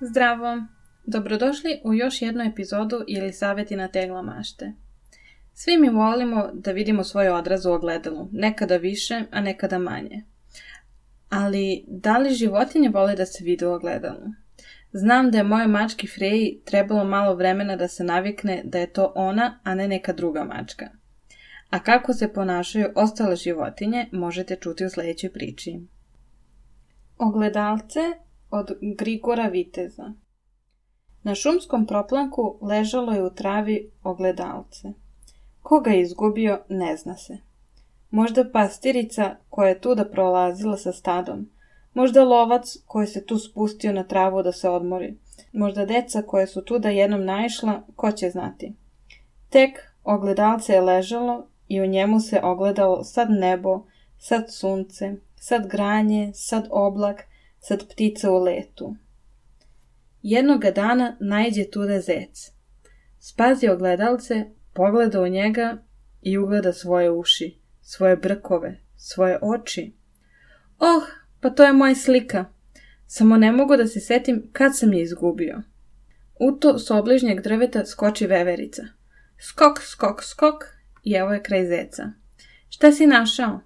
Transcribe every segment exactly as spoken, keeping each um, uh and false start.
Zdravo! Dobrodošli u još jednu epizodu ili savjeti na tegla mašte. Svi mi volimo da vidimo svoj odraz u ogledalu, nekada više, a nekada manje. Ali da li životinje vole da se vide u ogledalu? Znam da je mojoj mački Freji trebalo malo vremena da se navikne da je to ona, a ne neka druga mačka. A kako se ponašaju ostale životinje možete čuti u sljedećoj priči. Ogledalce od Grigora Viteza. Na šumskom proplanku ležalo je u travi ogledalce. Ko ga je izgubio, ne zna se. Možda pastirica koja je tuda prolazila sa stadom. Možda lovac koji se tu spustio na travu da se odmori. Možda deca koje su tuda jednom naišla, ko će znati. Tek ogledalce je ležalo i u njemu se ogledalo sad nebo, sad sunce, sad granje, sad oblak, sad ptica u letu. Jednoga dana naiđe tuda zec. Spazi ogledalce, pogleda u njega i ugleda svoje uši, svoje brkove, svoje oči. Oh, pa to je moja slika. Samo ne mogu da se setim kad sam je izgubio. U to s obližnjeg drveta skoči veverica. Skok, skok, skok i evo je kraj zeca. Šta si našao?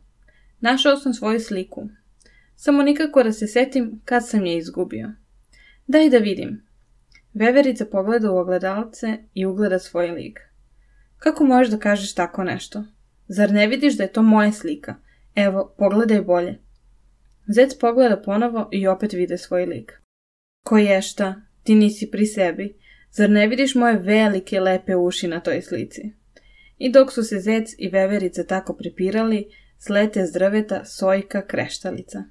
Našao sam svoju sliku. Samo nikako da se setim kad sam je izgubio. Daj da vidim. Veverica pogleda u ogledalce i ugleda svoj lik. Kako možeš da kažeš tako nešto? Zar ne vidiš da je to moja slika? Evo, pogledaj bolje. Zec pogleda ponovo i opet vide svoj lik. Ko je šta? Ti nisi pri sebi. Zar ne vidiš moje velike lepe uši na toj slici? I dok su se zec i veverica tako prepirali, slete s drveta Sojka Kreštalica.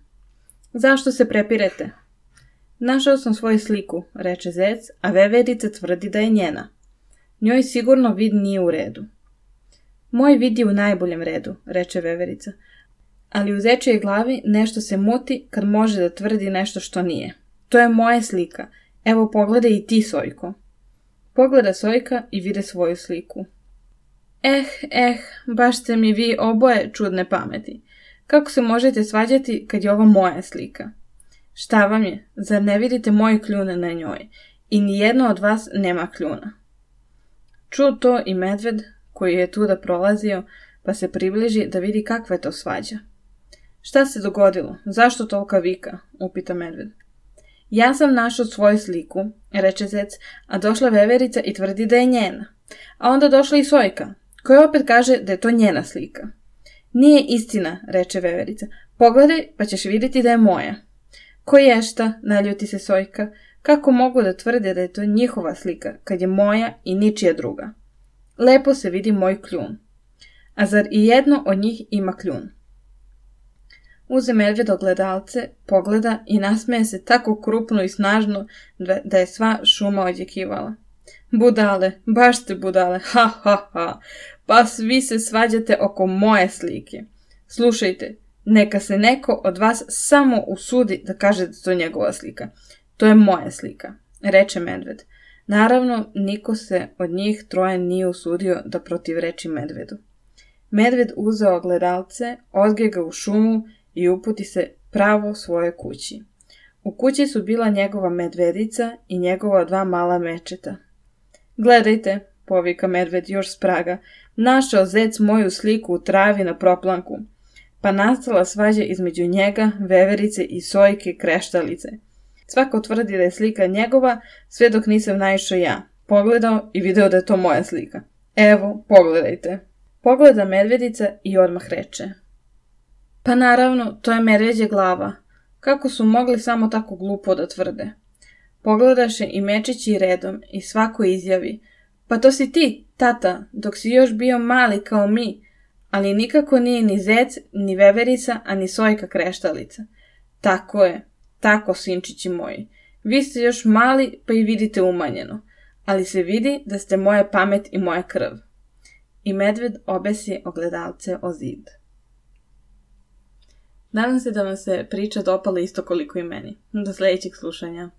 Zašto se prepirete? Našao sam svoju sliku, reče zec, a veverica tvrdi da je njena. Njoj sigurno vid nije u redu. Moj vid je u najboljem redu, reče veverica, ali u zečijoj glavi nešto se muti kad može da tvrdi nešto što nije. To je moja slika. Evo pogledaj i ti, Sojko. Pogleda Sojka i vide svoju sliku. Eh, eh, baš ste mi vi oboje čudne pameti. Kako se možete svađati kad je ovo moja slika? Šta vam je? Zar ne vidite moje kljune na njoj? I nijedno od vas nema kljuna. Čuo to i medved koji je tuda prolazio, pa se približi da vidi kakva je to svađa. Šta se dogodilo? Zašto tolika vika? Upita medved. Ja sam našao svoju sliku, reče zec, a došla veverica i tvrdi da je njena. A onda došla i Sojka, koja opet kaže da je to njena slika. Nije istina, reče veverica. Pogledaj pa ćeš vidjeti da je moja. Ko je šta, naljuti se Sojka, kako mogu da tvrde da je to njihova slika, kad je moja i ničija druga? Lepo se vidi moj kljun. A zar i jedno od njih ima kljun? Uze medved ogledalce, pogleda i nasmeje se tako krupno i snažno da je sva šuma odjekivala. Budale, baš ste budale, ha ha ha, pa svi se svađate oko moje slike. Slušajte, neka se neko od vas samo usudi da kaže da to je njegova slika. To je moja slika, reče medved. Naravno, niko se od njih troje nije usudio da protivreči medvedu. Medved uzeo ogledalce, odge ga u šumu i uputi se pravo svojoj kući. U kući su bila njegova medvedica i njegova dva mala mečeta. Gledajte, povika medved još s praga, našao zec moju sliku u travi na proplanku. Pa nastala svađa između njega, veverice i Sojke Kreštalice. Svako tvrdi da je slika njegova, sve dok nisam naišao ja. Pogledao i video da je to moja slika. Evo, pogledajte. Pogleda medvedica i odmah reče. Pa naravno, to je medveđa glava. Kako su mogli samo tako glupo da tvrde? Pogledaše i mečići redom i svako izjavi. Pa to si ti, tata, dok si još bio mali kao mi, ali nikako nije ni zec, ni veverica, a ni Sojka Kreštalica. Tako je, tako, sinčići moji. Vi ste još mali, pa i vidite umanjeno, ali se vidi da ste moja pamet i moja krv. I medved obesi ogledalce o zid. Nadam se da vam se priča dopala isto koliko i meni. Do sljedećeg slušanja.